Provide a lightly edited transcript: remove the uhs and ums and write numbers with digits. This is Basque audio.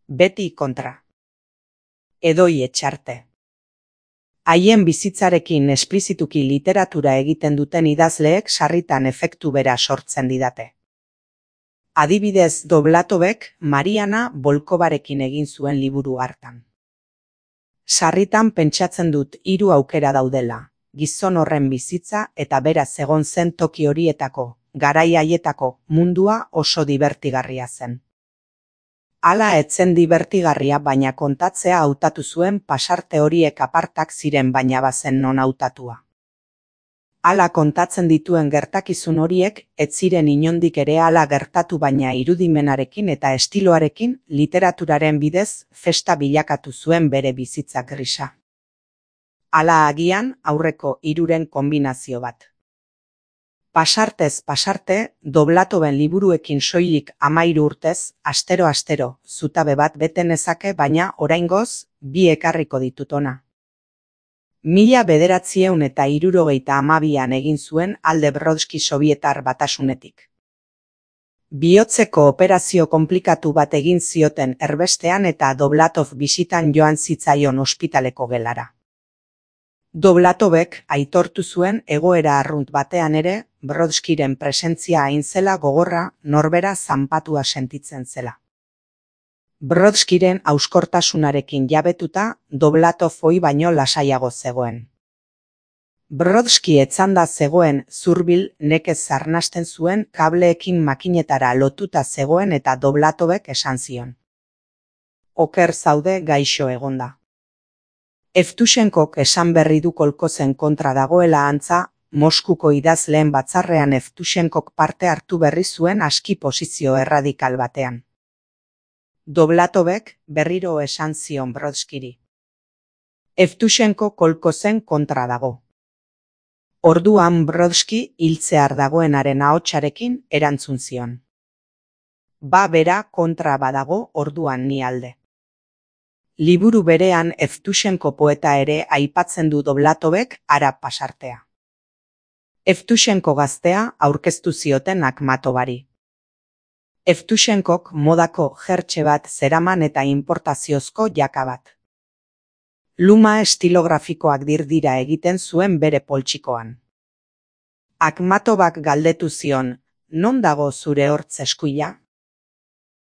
beti kontra. Edoi Etxarte. Haien bizitzarekin esplizituki literatura egiten duten idazleek sarritan efektu bera sortzen didate. Adibidez, Doblatovek Mariana Volkovarekin egin zuen liburu hartan. Sarritan pentsatzen dut 3 aukera daudela, gizon horren bizitza eta beraz egon zen toki horietako, garai haietako mundua oso dibertigarria zen. Hala etzen dibertigarria baina kontatzea hautatu zuen pasarte horiek apartak ziren baina bazen non hautatua. Hala kontatzen dituen gertakizun horiek ez ziren inondik ere hala gertatu baina irudimenarekin eta estiloarekin literaturaren bidez festa bilakatu zuen bere bizitza grisa. Hala agian aurreko 3 konbinazio bat. Pasartez pasarte, Doblatoven liburuekin soilik 13 urtez, astero zutabe bat bete nezake baina oraingoz 2 ekarriko ditut hona. 1972an egin zuen alde Brodski Sobietar Batasunetik. Bihotzeko operazio konplikatu bat egin zioten erbestean eta Doblatov bisitan joan zitzaion ospitaleko gelara. Doblatovek aitortu zuen egoera arrunt batean ere, Brodskiren presentzia hain zela gogorra norbera zanpatua sentitzen zela. Brodskiren hauskortasunarekin jabetuta, Doblatov ohi baino lasaiago zegoen. Brodski etzanda zegoen zurbil nekez arnasten zuen kableekin makinetara lotuta zegoen eta Doblatovek esan zion. Oker zaude gaixo egonda. Evtushenkok esan berri du kolkozen kontra dagoela antza, Moskuko idazleen batzarrean Evtushenkok parte hartu berri zuen aski posizio erradikal batean. Doblatovek berriro esan zion Brodskiri. Evtushenko kolkozen kontra dago. Orduan Brodski hiltzear dagoenaren ahotsarekin erantzun zion. Ba bera kontra badago orduan ni alde. Liburu berean Evtushenko poeta ere aipatzen du Doblatovek hara pasartea. Evtushenko gaztea aurkeztu zioten Akhmatovari. Evtushenkok modako jertxe bat zeraman eta importaziozko jaka bat. Luma estilografikoak dirdira egiten zuen bere poltsikoan. Akhmatovak galdetu zion, non dago zure hortz eskuila?